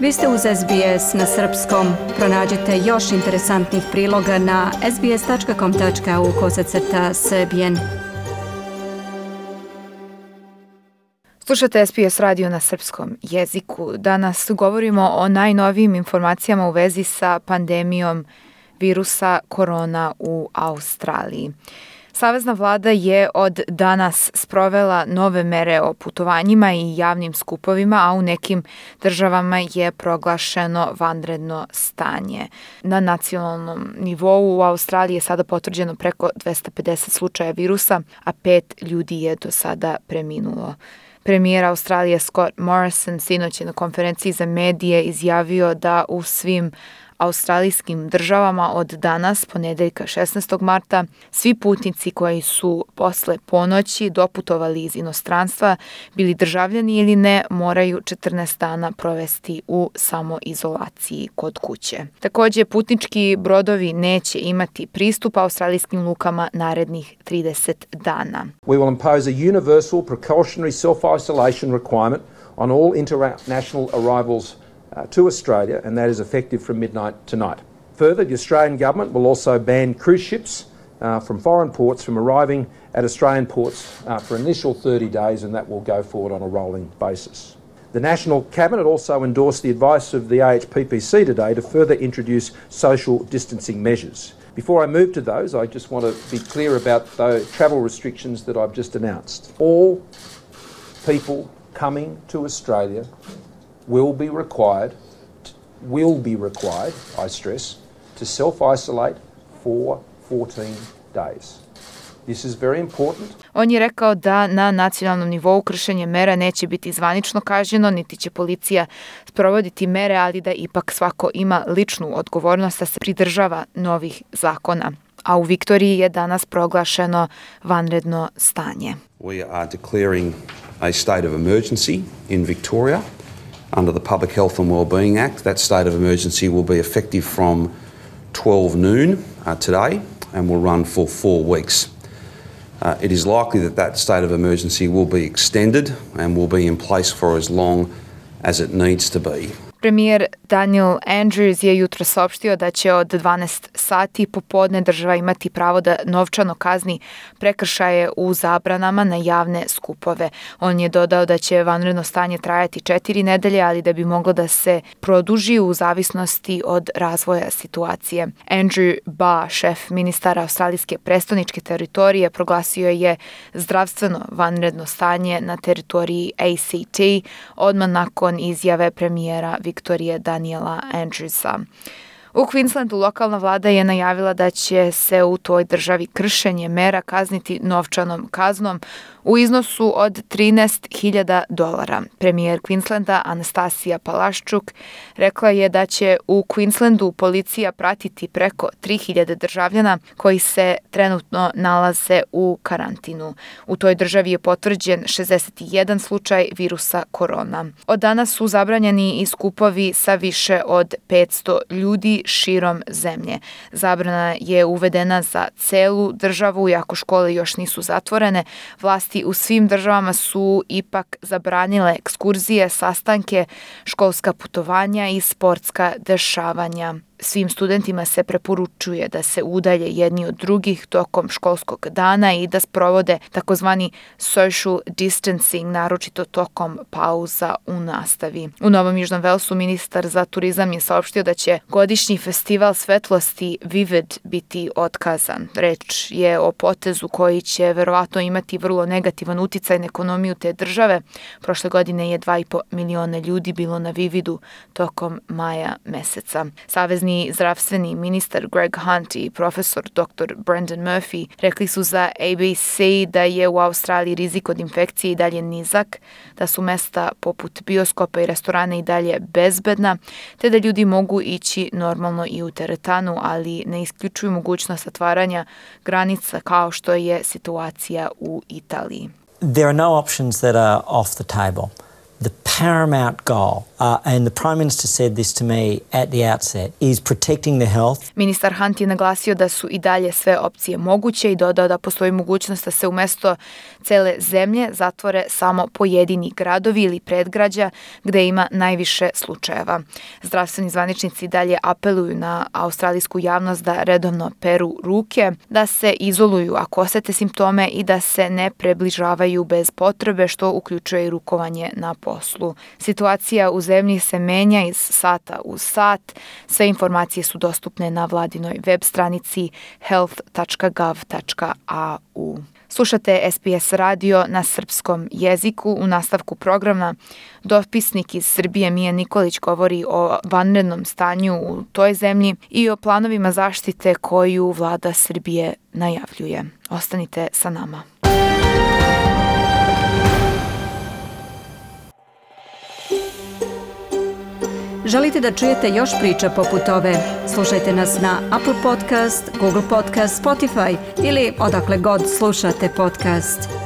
Vi ste uz SBS na srpskom. Pronađite još interesantnih priloga na sbs.com.au/srbijen. Slušate SBS radio na srpskom jeziku. Danas govorimo o najnovijim informacijama u vezi sa pandemijom virusa korona u Australiji. Savezna vlada je od danas sprovela nove mere o putovanjima i javnim skupovima, a u nekim državama je proglašeno vanredno stanje. Na nacionalnom nivou u Australiji je sada potvrđeno preko 250 slučaja virusa, a 5 ljudi je do sada preminulo. Premijer Australije Scott Morrison sinoć je na konferenciji za medije izjavio da u svim australijskim državama od danas, ponedeljka 16. marta, svi putnici koji su posle ponoći doputovali iz inostranstva, bili državljani ili ne, moraju 14 dana provesti u samoizolaciji kod kuće. Također, putnički brodovi neće imati pristup australijskim lukama narednih 30 dana. We will impose a universal precautionary self-isolation requirement on all international arrivals to Australia, and that is effective from midnight tonight. Further, the Australian government will also ban cruise ships from foreign ports from arriving at Australian ports for an initial 30 days, and that will go forward on a rolling basis. The National Cabinet also endorsed the advice of the AHPPC today to further introduce social distancing measures. Before I move to those, I just want to be clear about the travel restrictions that I've just announced. All people coming to Australia will be required, I stress, to self-isolate for 14 days. This is very important. On je rekao da na nacionalnom nivou kršenje mera neće biti zvanično kažnjeno, niti će policija sprovoditi mere, ali da ipak svako ima ličnu odgovornost da se pridržava novih zakona. A u Viktoriji je danas proglašeno vanredno stanje. We are declaring a state of emergency in Victoria. Under the Public Health and Wellbeing Act, that state of emergency will be effective from 12 noon today and will run for 4 weeks. It is likely that state of emergency will be extended and will be in place for as long as it needs to be. Premijer Daniel Andrews je jutro saopštio da će od 12 sati popodne država imati pravo da novčano kazni prekršaje u zabranama na javne skupove. On je dodao da će vanredno stanje trajati 4 nedelje, ali da bi moglo da se produži u zavisnosti od razvoja situacije. Andrew Barr, šef ministara australijske prestoničke teritorije, proglasio je zdravstveno vanredno stanje na teritoriji ACT odmah nakon izjave premijera Viktorije Daniela Andrewsa. U Queenslandu lokalna vlada je najavila da će se u toj državi kršenje mera kazniti novčanom kaznom u iznosu od $13,000. Premijer Queenslanda Anastasia Palaszczuk rekla je da će u Queenslandu policija pratiti preko 3.000 državljana koji se trenutno nalaze u karantinu. U toj državi je potvrđen 61 slučaj virusa korona. Od danas su zabranjeni i skupovi sa više od 500 ljudi širom zemlje. Zabrana je uvedena za celu državu, iako škole još nisu zatvorene. Vlasti u svim državama su ipak zabranile ekskurzije, sastanke, školska putovanja i sportska dešavanja. Svim studentima se preporučuje da se udalje jedni od drugih tokom školskog dana i da sprovode takozvani social distancing, naročito tokom pauza u nastavi. U Novom Južnom Velsu ministar za turizam je saopštio da će godišnji festival svetlosti Vivid biti otkazan. Reč je o potezu koji će verovatno imati vrlo negativan uticaj na ekonomiju te države. Prošle godine je 2,5 miliona ljudi bilo na Vividu tokom maja meseca. Savezni zdravstveni ministar Greg Hunt i profesor dr. Brendan Murphy rekli su za ABC da je u Australiji rizik od infekcije i dalje nizak, da su mesta poput bioskopa i restorana i dalje bezbedna, te da ljudi mogu ići normalno i u teretanu, ali ne isključuju mogućnost otvaranja granica kao što je situacija u Italiji. There are no options that are off the table. The paramount goal, and the Prime Minister said this to me at the outset, is protecting the health. Ministar Hunt je naglasio da su i dalje sve opcije moguće i dodao da postoji mogućnost da se umjesto cele zemlje zatvore samo pojedini gradovi ili predgrađa gde ima najviše slučajeva. Zdravstveni zvaničnici dalje apeluju na australijsku javnost da redovno peru ruke, da se izoluju ako osete simptome i da se ne približavaju bez potrebe, što uključuje i rukovanje na poslu. Situacija u zemlji se menja iz sata u sat. Sve informacije su dostupne na vladinoj web stranici health.gov.au. Slušate SBS radio na srpskom jeziku. U nastavku programa dopisnik iz Srbije Mija Nikolić govori o vanrednom stanju u toj zemlji i o planovima zaštite koju vlada Srbije najavljuje. Ostanite sa nama. Želite da čujete još priča poput ove? Slušajte nas na Apple Podcast, Google Podcast, Spotify ili odakle god slušate podcast.